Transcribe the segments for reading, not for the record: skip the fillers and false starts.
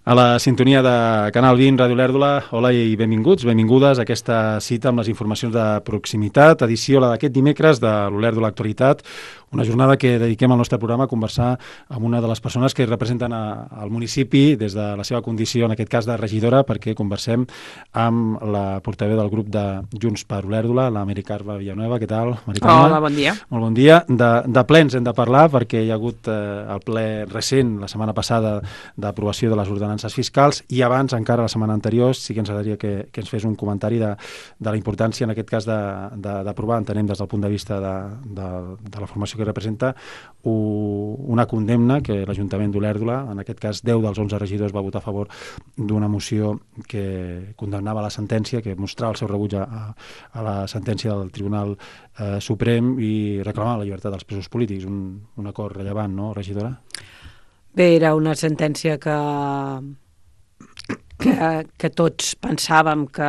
A la sintonia de Canal 20, Ràdio Olèrdola, hola i benvinguts, benvingudes a aquesta cita amb les informacions de proximitat, edició la d'aquest dimecres de l'Olèrdola Actualitat, una jornada que dediquem al nostre programa a conversar amb una de les persones que representen al municipi des de la seva condició, en aquest cas de regidora, perquè conversem amb la portaveu del grup de Junts per Olèrdola, la Mari Carme Villanueva. Què tal, Mari Carme? Hola, bon dia. Molt bon dia. De plens hem de parlar perquè hi ha hagut el ple recent, la setmana passada, d'aprovació de les ordenances fiscals, i abans, encara la setmana anterior, sí que ens agradaria que ens fes un comentari de la importància, en aquest cas, d'aprovar, entenem des del punt de vista de la formació que representa, una condemna que l'Ajuntament d'Olèrdola, en aquest cas 10 dels 11 regidors, va votar a favor d'una moció que condemnava la sentència, que mostrava el seu rebuig a la sentència del Tribunal Suprem i reclamava la llibertat dels presos polítics. Un acord rellevant, no, regidora? Bé, era una sentència que tots pensàvem que,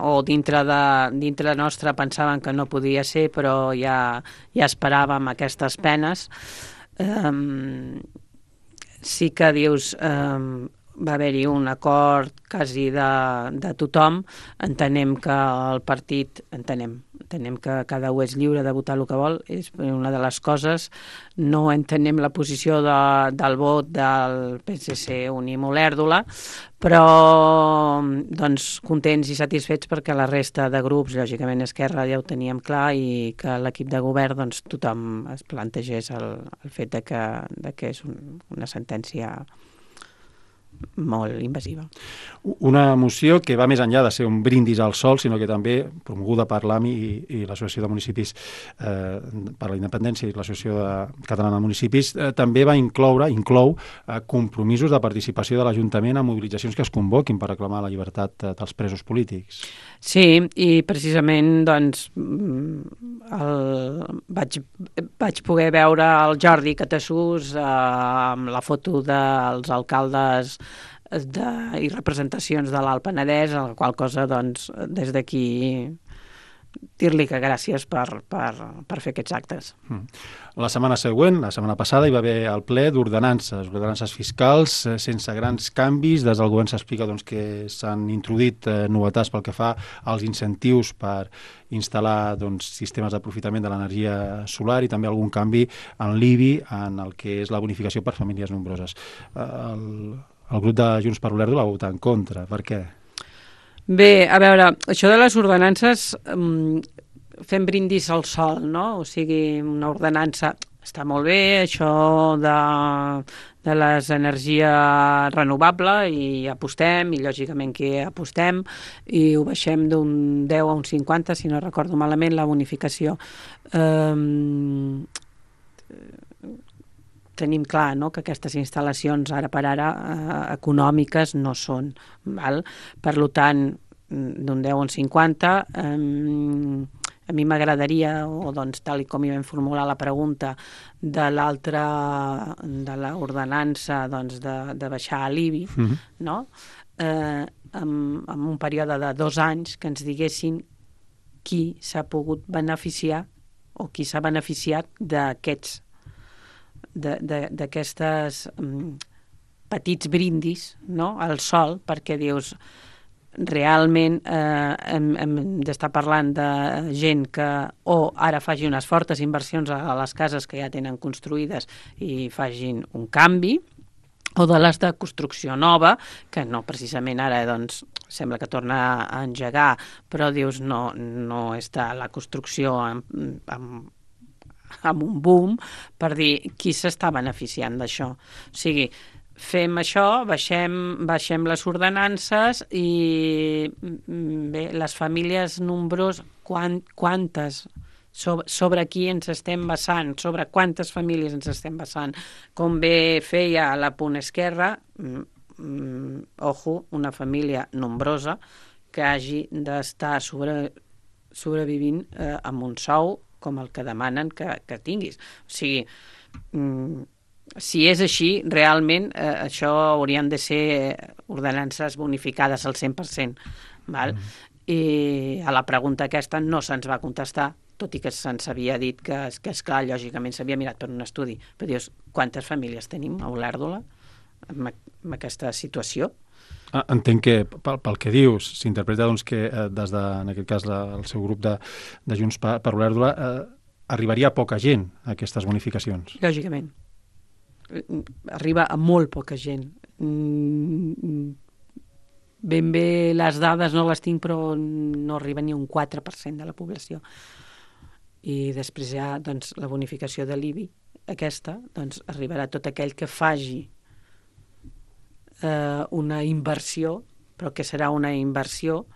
o dintre nostre pensàvem que no podia ser, però ja esperàvem aquestes penes. Sí que dius, va haver-hi un acord quasi de tothom. Entenem que el partit, entenem que cada un és lliure de votar el que vol, és una de les coses. No entenem la posició del vot del PSC Unim Olèrdola, però doncs contents i satisfets perquè la resta de grups, lògicament Esquerra ja ho teníem clar, i que l'equip de govern doncs tothom es plantegés el fet de que és una sentència molt invasiva. Una moció que va més enllà de ser un brindis al sol, sinó que també, promoguda per l'AMI i l'Associació de Municipis per la Independència i l'Associació Catalana de Municipis, també inclou compromisos de participació de l'Ajuntament a mobilitzacions que es convoquin per reclamar la llibertat dels presos polítics. Sí, i precisament doncs vaig poder veure el Jordi Catassús amb la foto dels alcaldes i representacions de l'Alt Penedès, a la qual cosa, doncs, des d'aquí dir-li que gràcies per fer aquests actes. La setmana següent, la setmana passada, hi va haver el ple ordenances fiscals, sense grans canvis. Des del govern s'explica que s'han introduït novetats pel que fa als incentius per instal·lar sistemes d'aprofitament de l'energia solar i també algun canvi en l'IBI, en el que és la bonificació per famílies nombroses. El grup de Junts per Olèrdola va votar en contra. Per què? Bé, a veure, això de les ordenances, fem brindis al sol, no? O sigui, una ordenança està molt bé, això de les energies renovables, i apostem, i lògicament que apostem, i ho baixem d'un 10 a un 50, si no recordo malament, la bonificació. Tenim clar, no?, que aquestes instal·lacions ara per ara econòmiques no són, val? Per tant, d'un 10 a un 50, a mi m'agradaria, o doncs tal com hi vam formular la pregunta de l'ordenança, doncs de baixar l'IBI, no?, en un període de 2 anys, que ens diguessin qui s'ha pogut beneficiar o qui s'ha beneficiat d'aquests petits brindis, no?, al sol, perquè dius, realment hem d'estar parlant de gent que o ara faci unes fortes inversions a les cases que ja tenen construïdes i facin un canvi, o de les de construcció nova, que no precisament ara doncs sembla que torna a engegar, però dius no està la construcció amb un boom, per dir qui s'està beneficiant d'això. O sigui, fem això, baixem les ordenances, i bé, les famílies nombroses, quantes, sobre qui ens estem basant, sobre quantes famílies ens estem basant. Com bé feia la Punt Esquerra, una família nombrosa que hagi d'estar sobrevivint amb un sou com el que demanen que tinguis. O sigui, si és així, realment això haurien de ser ordenances bonificades al 100%. Val? I a la pregunta aquesta no se'ns va contestar, tot i que se'ns havia dit que esclar, lògicament s'havia mirat per un estudi. Però dius, quantes famílies tenim a Olèrdola amb aquesta situació. Entenc que pel que dius s'interpreta doncs, que des de, en aquest cas, el seu grup de Junts per Olèrdola arribaria a poca gent a aquestes bonificacions. Lògicament. Arriba a molt poca gent. Ben bé les dades no les tinc, però no arriba ni un 4% de la població. I després hi ha doncs, la bonificació de l'IBI, aquesta, doncs arribarà tot aquell que faci una inversió, però que serà una inversió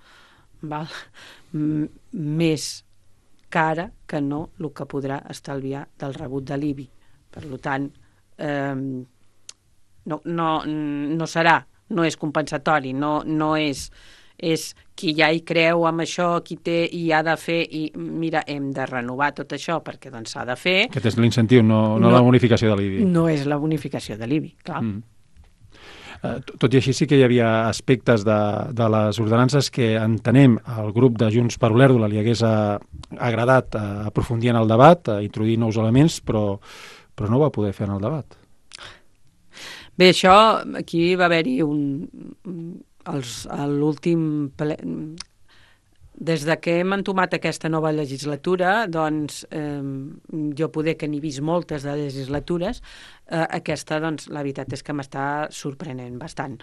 més cara que no el que podrà estalviar del rebut de l'IBI. Per tant, no serà, no és compensatori, no és qui ja hi creu amb això, qui té i ha de fer, i mira, hem de renovar tot això perquè doncs s'ha de fer. Aquest és l'incentiu, no la bonificació de l'IBI. No és la bonificació de l'IBI, clar. Tot i així sí que hi havia aspectes de les ordenances que entenem al grup de Junts per Olèrdola li hagués agradat aprofundir en el debat, introduir nous elements, però no ho va poder fer en el debat. Bé, això, aquí va haver-hi l'últim ple. Des de que hem entomat aquesta nova legislatura, doncs, jo poder que n'he vist moltes de legislatures, aquesta, doncs, la veritat és que m'està sorprenent bastant.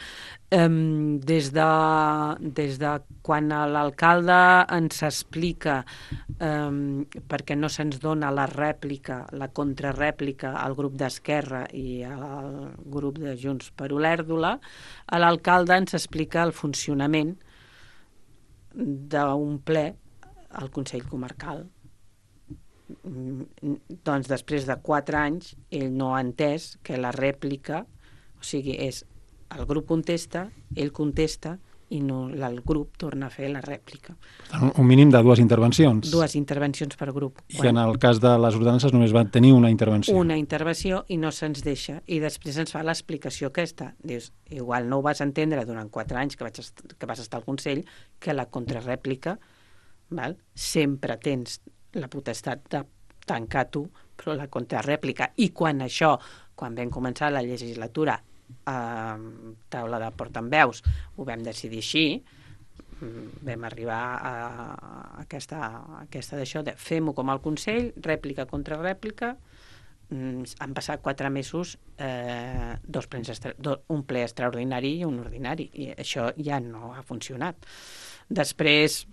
Des de quan l'alcalde ens explica perquè no se'ns dona la rèplica, la contrarèplica al grup d'Esquerra i al grup de Junts per Olèrdola, l'alcalde ens explica el funcionament d'un ple al Consell Comarcal. Doncs després de 4 anys ell no ha entès que la rèplica, o sigui, és el grup contesta, ell contesta i no, el grup torna a fer la rèplica. Per tant, un mínim de 2 intervencions. 2 intervencions per grup. I en el cas de les ordenances només van tenir una intervenció. Una intervenció i no se'ns deixa. I després ens fa l'explicació aquesta. Dius, igual no ho vas entendre durant 4 anys que vas estar al Consell, que la contrarèplica, sempre tens la potestat de tancar tu, però la contrarèplica. I quan vam començar la legislatura, taula de portaveus, ho vam decidir així, vam arribar a aquesta d'això de fem-ho com al Consell, rèplica contra rèplica. Han passat 4 mesos, un ple extraordinari i un ordinari, i això ja no ha funcionat. Després,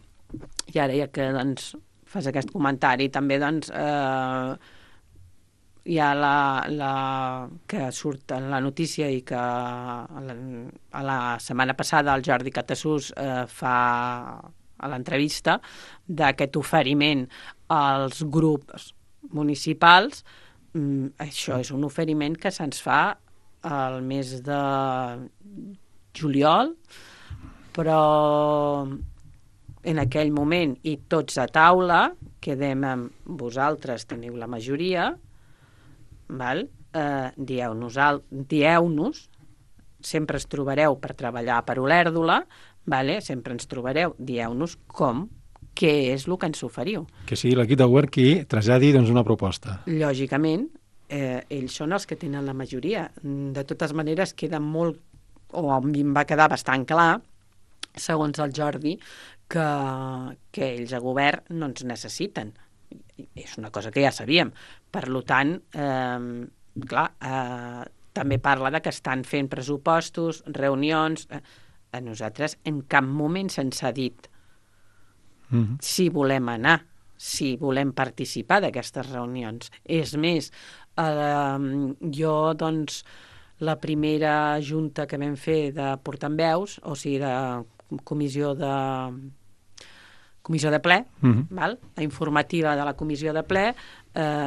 i ara ja que doncs, fas aquest comentari, també doncs, hi ha que surt en la notícia i que a la setmana passada el Jordi Catasús fa a l'entrevista d'aquest oferiment als grups municipals. Això és un oferiment que se'ns fa al mes de juliol, però en aquell moment i tots a taula quedem amb vosaltres, teniu la majoria, dieu-nos, sempre ens trobareu per treballar per Olèrdola, sempre ens trobareu, dieu-nos què és el que ens oferiu. Que sigui l'equip de govern qui traslladi doncs, una proposta. Lògicament, ells són els que tenen la majoria. De totes maneres, queda molt, o a mi em va quedar bastant clar, segons el Jordi, que ells a govern no ens necessiten. És una cosa que ja sabíem. Per tant, també parla de que estan fent pressupostos, reunions. A nosaltres en cap moment se'ns ha dit si volem anar, si volem participar d'aquestes reunions. És més, jo, doncs, la primera junta que vam fer de portaveus, o sigui, de comissió de ple, la informativa de la comissió de ple,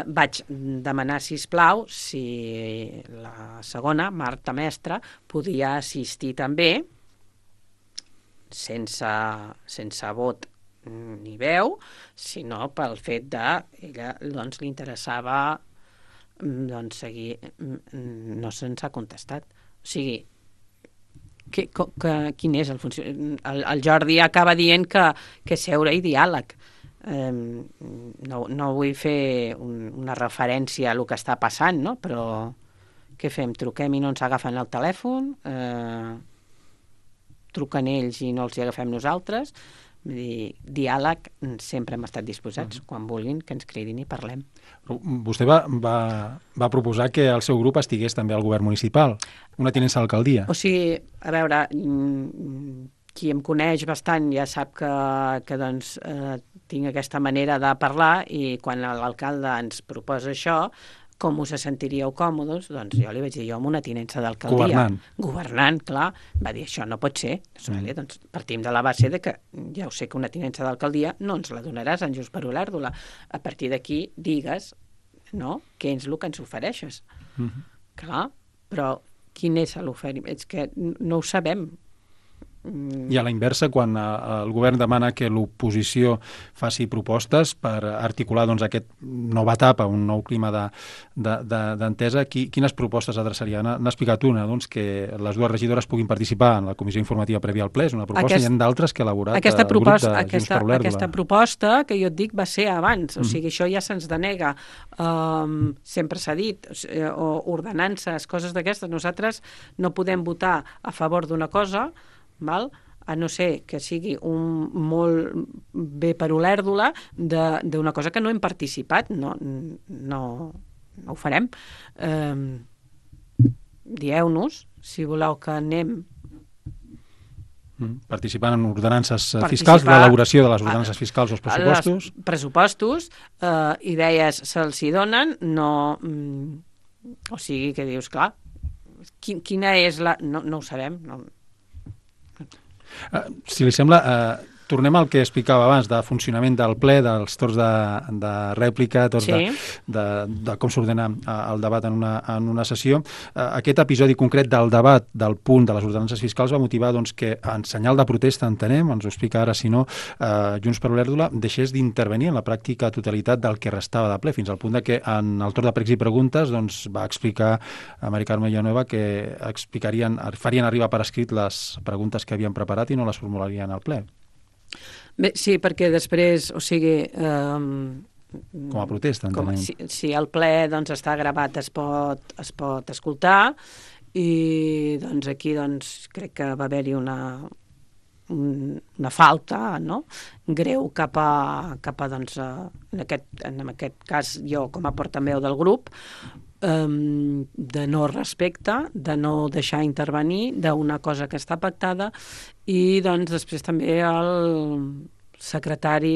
vaig demanar, sisplau, si la segona, Marta Mestre, podia assistir també, sense vot ni veu, sinó pel fet de ella doncs, li interessava doncs, seguir. No se'ns ha contestat. O sigui, quin és el funcionament? El Jordi acaba dient que seure i diàleg. No vull fer una referència a el que està passant, no? Però Què fem? Truquem i no ens agafen el telèfon? Truquen ells i no els hi agafem nosaltres? Vull dir, diàleg, sempre hem estat disposats, quan vulguin, que ens cridin i parlem. Vostè va proposar que el seu grup estigués també al govern municipal, una tinença d'alcaldia. O sigui, a veure, qui em coneix bastant ja sap que doncs, tinc aquesta manera de parlar, i quan l'alcalde ens proposa això, com us sentiríeu còmodes? Doncs jo li vaig dir, jo amb una tinença d'alcaldia. Governant, clar. Va dir, això no pot ser. Doncs partim de la base de que ja ho sé que una tinença d'alcaldia no ens la donaràs en Junts per Olèrdola. A partir d'aquí digues, no?, què és el que ens ofereixes. Clar, però quin és l'oferiment? És que no ho sabem. I a la inversa, quan el govern demana que l'oposició faci propostes per articular aquest nova etapa, un nou clima d'entesa, quines propostes adreçaria? N'ha explicat una, que les dues regidores puguin participar en la comissió informativa prèvia al ple, és una proposta, hi ha d'altres que ha elaborat el grup de Junts per Olèrdola. Aquesta proposta, que jo et dic, va ser abans, o sigui, això ja se'ns denega. Sempre s'ha dit, ordenances, coses d'aquestes, nosaltres no podem votar a favor d'una cosa, val? A no ser que sigui molt bé per Olèrdola d'una cosa que no hem participat, no ho farem. Dieu-nos, si voleu que anem participant en ordenances fiscals, l'elaboració de les ordenances fiscals o els pressupostos. Els pressupostos, idees se'ls hi donen, no... O sigui, que dius, clar, quina és la... No ho sabem, no... Si li sembla, tornem al que explicava abans, de funcionament del ple, dels torns de rèplica, torns de com s'ordena el debat en una sessió. Aquest episodi concret del debat del punt de les ordenances fiscals va motivar que, en senyal de protesta, entenem, ens ho explica ara, si no, Junts per Olèrdola deixés d'intervenir en la pràctica totalitat del que restava de ple, fins al punt que en el torn de pregs i preguntes va explicar a Mari Carme Villanueva que farien arribar per escrit les preguntes que havien preparat i no les formularien al ple. Bé, sí, perquè després, o sigui... Com a protesta, entenem. Si el ple està gravat, es pot escoltar, i aquí crec que va haver-hi una falta, no?, greu cap a en aquest cas jo com a portaveu del grup, de no respecte, de no deixar intervenir d'una cosa que està pactada, i després també el secretari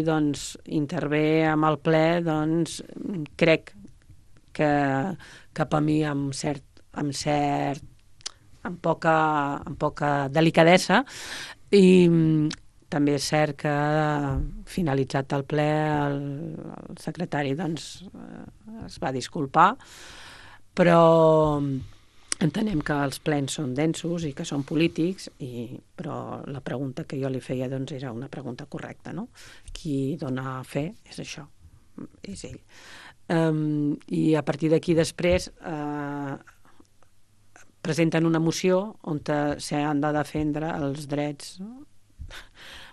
intervé amb el ple, crec que cap a mi amb poca delicadesa, i també és cert que finalitzat el ple el secretari es va disculpar, però entenem que els plens són densos i que són polítics, però la pregunta que jo li feia era una pregunta correcta, no? Qui dona fe és això, és ell. I a partir d'aquí després presenten una moció on s'han de defendre els drets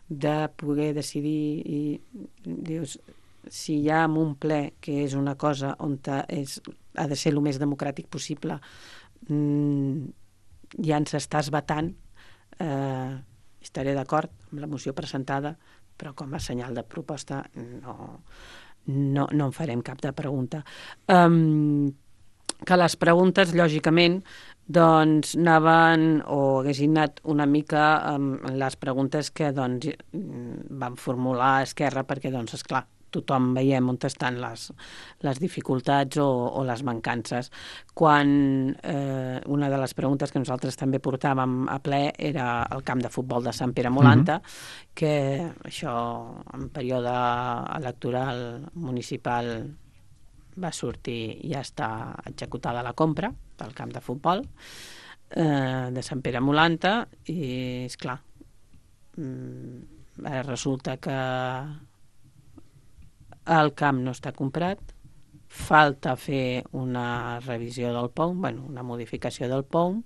de poder decidir, i dius, si hi ha en un ple que és una cosa on ha de ser el més democràtic possible, ja ens estàs vetant, estaré d'acord amb la moció presentada, però com a senyal de proposta no en farem cap de pregunta. Que les preguntes, lògicament, anaven o haguessin anat una mica amb les preguntes que van formular Esquerra, perquè, esclar, tothom veiem on estan les dificultats o les mancances. Quan una de les preguntes que nosaltres també portàvem a ple era el camp de futbol de Sant Pere Molanta, que això en període electoral municipal va sortir i ja està executada la compra del camp de futbol de Sant Pere Molanta, i esclar, ara resulta que el camp no està comprat, falta fer una revisió del POUM, una modificació del POUM.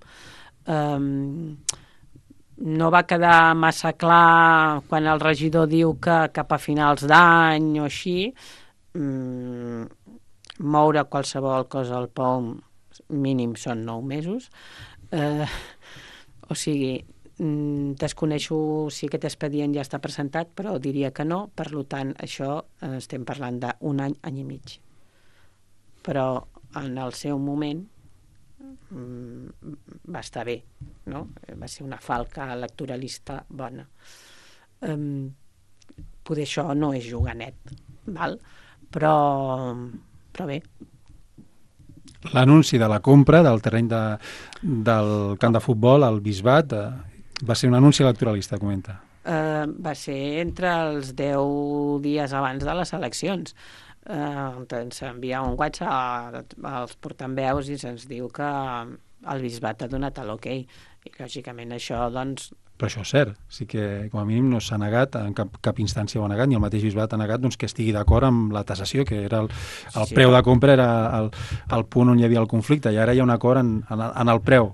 No va quedar massa clar quan el regidor diu que cap a finals d'any o així, moure qualsevol cosa al POUM mínim són 9 mesos. O sigui, desconeixo si aquest expedient ja està presentat, però diria que no, per tant, això estem parlant d'un any, any i mig. Però en el seu moment va estar bé, no? Va ser una falca electoralista bona. Poder això no és jugar net, val? Però bé. L'anunci de la compra del terreny del camp de futbol al Bisbat va ser un anunci electoralista, comenta. Va ser entre els 10 dies abans de les eleccions. Ens envia un WhatsApp als portaveus i se'ns diu que el Bisbat ha donat l'ok. I lògicament això, doncs... Però això és cert, sí que com a mínim no s'ha negat, en cap instància ho ha negat, ni el mateix Bisbat ha negat doncs, que estigui d'acord amb la tasació, que era el preu de compra era el punt on hi havia el conflicte, i ara hi ha un acord en el preu,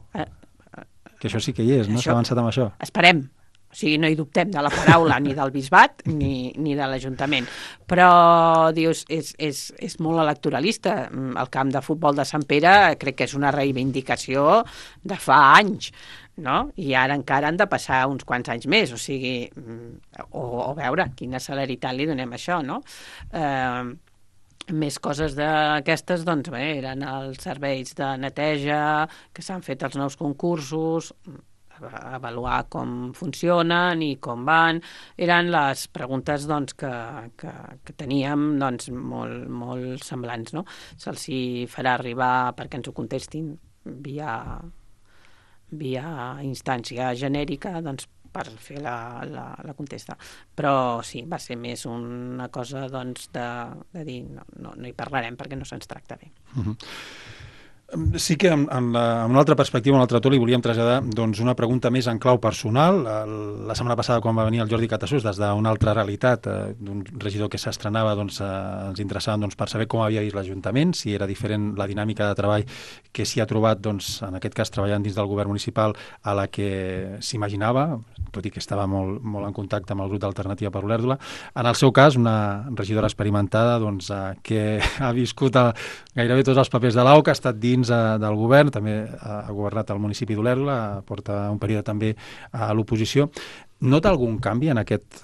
que això sí que hi és, no? S'ha avançat amb això. Esperem. O sigui, no hi dubtem de la paraula ni del Bisbat ni de l'Ajuntament. Però, dius, és molt electoralista. El camp de futbol de Sant Pere crec que és una reivindicació de fa anys, no? I ara encara han de passar uns quants anys més, o sigui, o veure quina celeritat li donem a això, no? Més coses d'aquestes, doncs bé, eren els serveis de neteja, que s'han fet els nous concursos, avaluar com funcionen i com van. Eren les preguntes doncs, que teníem doncs, molt semblants, no? Se'ls farà arribar perquè ens ho contestin via instància genèrica, doncs, per fer la contesta. Però sí, va ser més una cosa doncs, de dir no hi parlarem perquè no se'ns tracta bé. Sí que en una altra perspectiva, en un altre to, li volíem traslladar doncs, una pregunta més en clau personal. La setmana passada, quan va venir el Jordi Catasús, des d'una altra realitat, d'un regidor que s'estrenava, doncs, ens interessava doncs, per saber com havia vist l'Ajuntament, si era diferent la dinàmica de treball que s'hi ha trobat, doncs, en aquest cas, treballant dins del govern municipal, a la que s'imaginava, tot i que estava molt en contacte amb el grup d'Alternativa per Olèrdola. En el seu cas, una regidora experimentada doncs, que ha viscut gairebé tots els papers de l'AU, que ha estat dins del govern, també ha governat el municipi d'Olèrdola, porta un període també a l'oposició. Nota algun canvi en aquest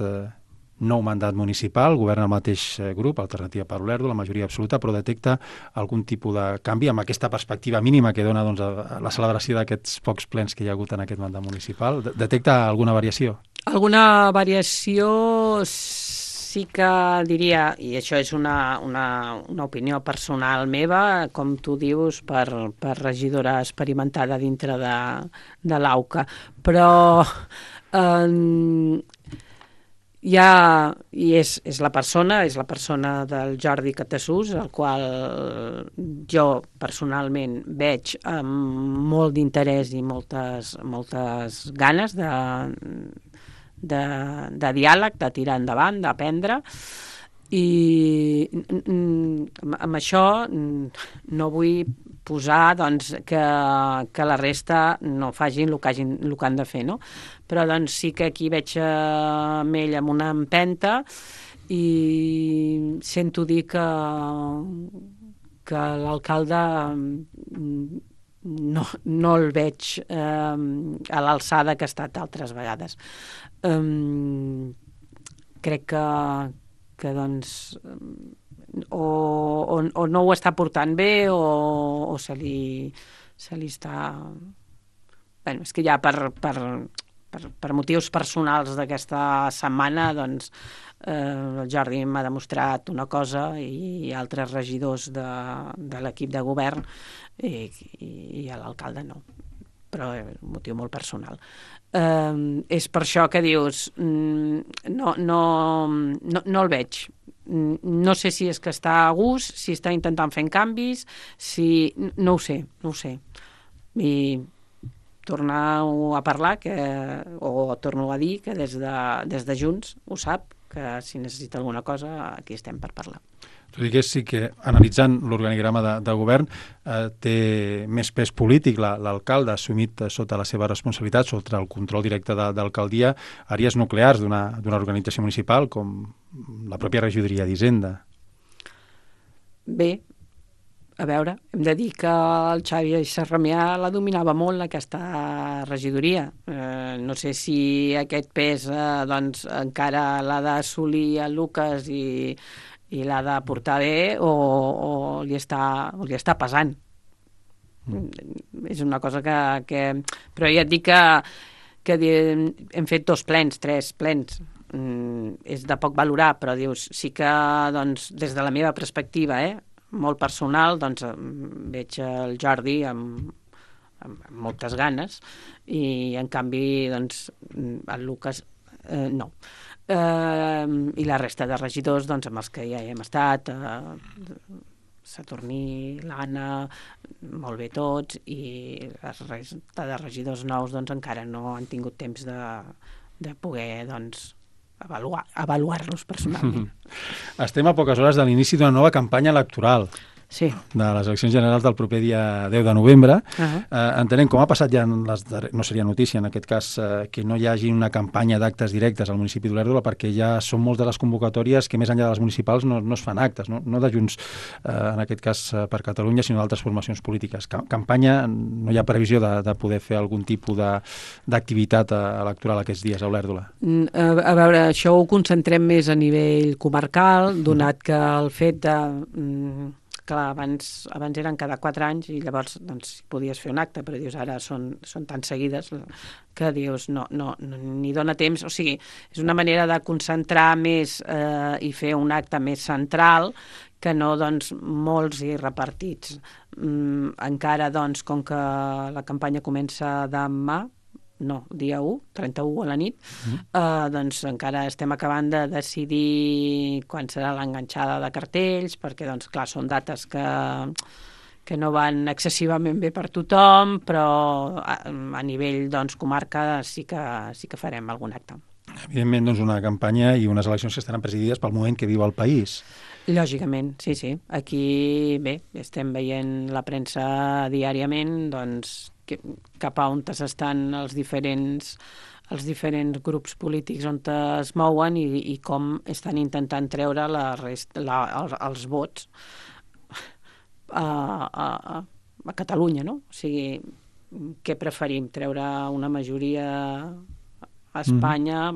nou mandat municipal? Governa el mateix grup, Alternativa per Olèrdola, la majoria absoluta, però detecta algun tipus de canvi amb aquesta perspectiva mínima que dona doncs, la celebració d'aquests pocs plens que hi ha hagut en aquest mandat municipal? Detecta alguna variació? Alguna variació sí que diria, i això és una opinió personal meva, com tu dius, per regidora experimentada dintre de l'AUCA, però és la persona del Jordi Catasús, el qual jo personalment veig amb molt d'interès i moltes ganes de diàleg, de tirar endavant, d'aprendre, i amb això no vull posar doncs, que la resta no facin el que han de fer, no? Però doncs, sí que aquí veig amb ell amb una empenta i sento dir que l'alcalde no el veig a l'alçada que ha estat altres vegades. Crec que doncs o no ho està portant bé o se li està... Bé, és que ja per motius personals d'aquesta setmana doncs el Jordi m'ha demostrat una cosa i altres regidors de l'equip de govern i l'alcalde no, però és un motiu molt personal. És per això que dius no el veig. No sé si és que està a gust, si està intentant fer canvis, no ho sé. I tornar a parlar o torno a dir que des de Junts ho sap, que si necessita alguna cosa aquí estem per parlar. Tot i que sí que, analitzant l'organigrama de govern, té més pes polític l'alcalde assumit sota la seva responsabilitat, sota el control directe d'alcaldia, àrees nuclears d'una organització municipal com la pròpia regidoria d'Hisenda. Bé, A veure, hem de dir que el Xavi Sarramià la dominava molt, aquesta regidoria. No sé si aquest pes doncs, encara l'ha d'assolir el Lucas i l'ha de portar bé o li està pesant. És una cosa que... Però ja et dic que hem fet 2 plens, 3 plens. És de poc valorar, però dius, sí que doncs, des de la meva perspectiva, molt personal, doncs veig el Jordi amb moltes ganes i en canvi doncs, el Lucas no. I la resta de regidors doncs, amb els que ja hem estat, Saturní, l'Anna, molt bé tots, i la resta de regidors nous doncs, encara no han tingut temps de poder doncs, avaluar-los personalment. Estem a poques hores de l'inici d'una nova campanya electoral. Sí. De les eleccions generals del proper dia 10 de novembre. Entenem, com ha passat ja no seria notícia en aquest cas, que no hi hagi una campanya d'actes directes al municipi d'Olèrdola, perquè ja són moltes les convocatòries que més enllà de les municipals no es fan actes, no de Junts, en aquest cas per Catalunya, sinó d'altres formacions polítiques. Campanya, no hi ha previsió de poder fer algun tipus d'activitat electoral aquests dies a Olèrdola? A veure, això ho concentrem més a nivell comarcal, donat que el fet de... Clar, abans eren cada 4 anys i llavors doncs, podies fer un acte, però dius ara són tan seguides que dius no ni dona temps. O sigui, és una manera de concentrar més i fer un acte més central que no doncs, molts i repartits. Encara, doncs, com que la campanya comença demà, dia 1, 31 a la nit, doncs encara estem acabant de decidir quan serà l'enganxada de cartells, perquè, doncs, clar, són dates que no van excessivament bé per tothom, però a nivell, doncs, comarca sí que farem algun acte. Evidentment, doncs, una campanya i unes eleccions que estaran presidides pel moment que viu el país. Lògicament, sí. Aquí, bé, estem veient la premsa diàriament, doncs, cap a on estan els diferents grups polítics on es mouen i com estan intentant treure els vots a Catalunya, no? O sigui, què preferim? Treure una majoria a Espanya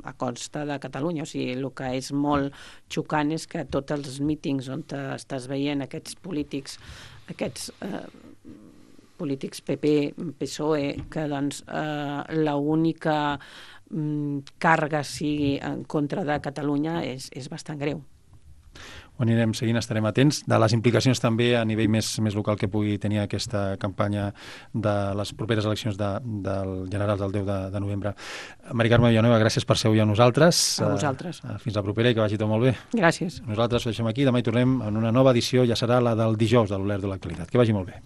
a costa de Catalunya. O sigui, el que és molt xocant és que tots els mítings on estàs veient aquests polítics PP, PSOE, que doncs l'única càrrega sigui en contra de Catalunya és bastant greu. Ho anirem seguint, estarem atents de les implicacions també a nivell més local que pugui tenir aquesta campanya de les properes eleccions del general del 10 de novembre. Mari Carme Villanueva, gràcies per ser avui amb nosaltres. A vosaltres. Fins la propera i que vagi tot molt bé. Gràcies. Nosaltres ho deixem aquí, demà hi tornem en una nova edició, ja serà la del dijous de l'Olèrdola Actualitat. Que vagi molt bé.